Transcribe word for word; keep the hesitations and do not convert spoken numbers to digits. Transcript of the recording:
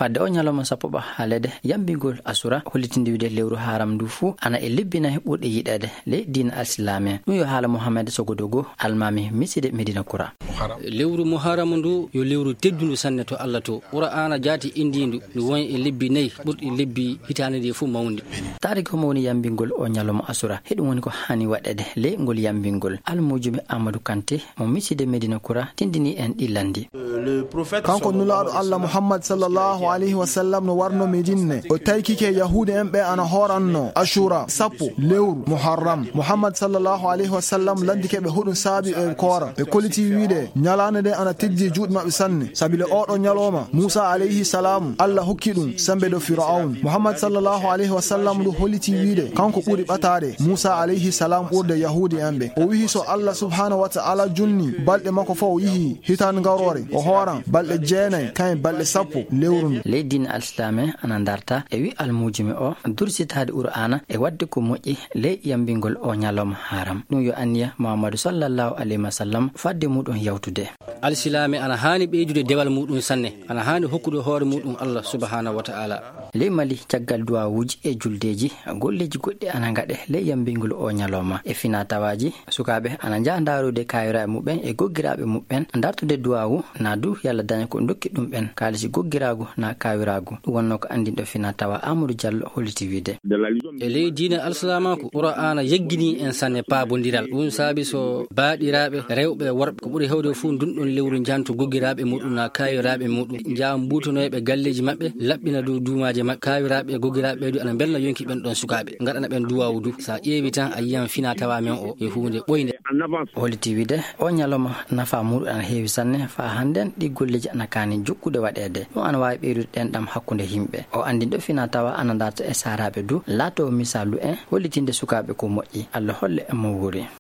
Fadde o ñalawma sappo ɓa haalede, yambingol Asura, hollitinde wiide lewru Haram ndu fuu ana e lebbi nayi ɓurɗi yiɗeede ley diina Alsilaame. Ɗum yo haala Mohamed Sogodogo, almaami miside Medina Kura. Lewru Muharram ndu yo lewru teddundu sanne to Allah to. Qur'aana jaati indiindu ndu woni e lebbi nayi ɓurɗi lebbi hitaande nde fof mawnude. Taariki homo woni yambingol o ñalawma Asura? Heɗum woni ko haani waɗeede ley ngol yambingol. Almuujuɓe Amadou Kanté mo miside Medina Kura tindini en ɗi lanndi. Kanko Nulaaɗo Allah Muhammad sallallahu alayhi wa sallam no warno Medine, o taykike Yahuudi en ɓe ana hooranno Ashura sappo lewru Muharram. Muhammad sallallahu alayhi wa sallam landike ɓe hoɗum saabi e koora. Ɓe koliti wiide ñalaande nde ana teddi juuɗe maɓɓe sanne, sabi le oɗo ñalawma Muusa alayhi salam Allah hokki ɗum sembe dow Fir'awn. Muhammad sallallahu alayhi wa sallam ndu holliti wiide kanko ɓuri ɓataade Muusa alayhi salam ɓurde Yahuudi en ɓe. O wihi so Allah subhanahu wa ta'ala junni balɗe makko fof, o yihi hitaande ngaroore, o hooran balɗe jeenayi, kayen balɗe sappo lewru ndu. Ley diina Alsilaame ana darta e wi almuujuɓe o dursitaade Qur'aana e waɗde ko moƴƴi ley yambingol o ñalawma Haram. Ɗum yo anniya Muhammadu sallallahu alayhi wa sallam fadde muɗum yawtude. Alsilaame ana haani ɓeydude dewal muɗum sanne, ana haani hokkude hoore muɗum Allah subhanahu wa ta'ala. Ley Mali, caggal duwawuuji e juldeeji, golleeji goɗɗi ana ngaɗe ley yambingol o ñalawma. E finaa tawaaji, sukaaɓe ana njaha ndaarude kaayiraaɓe muɓɓen e goggiraaɓe muɓɓen, dartude duwawu, naa du yalla daña ko ndokki ɗum ɓen, kaalisi goggiraagu naa kaayiraagu. Ɗum wonnoo ko anndinɗo finaa tawa Amadou Diallo holliti wiide. E ley diina Alsilaamaaku, Qur'aana yeggini en sanne paabondiral. Ɗum saabi so baaɗiraaɓe rewɓe e worɓe, ko ɓuri heewde fof ndun ɗon lewru, njanto goggiraaɓe muɗum naa kaayiraaɓe muɗum, njaha mbuutonoyɓe galleeji maɓɓe, laɓɓina dow duumaaje maɓɓe. Kaayiraaɓe e goggiraaɓe ɓe du ana mbelna yonki ɓen ɗon sukaaɓe, ngaɗana ɓen duwaawu du. Sa ƴeewi tan, a yiyan finaa tawa men o e huunde ɓoynde. Holliti wiide, o ñalawma nafa muɗum ana heewi sanne, faa hannden ɗi golleeji ana kaani jokkude waɗeede. Ɗum ana waawi ɓeydude ɗenɗam hakkunde yimɓe. O anndinɗo finaa tawa ana darta e saaraaɓe du, laatoo misaalu en hollitinde sukaaɓe ko moƴƴi. Allah holle en mo wuuri.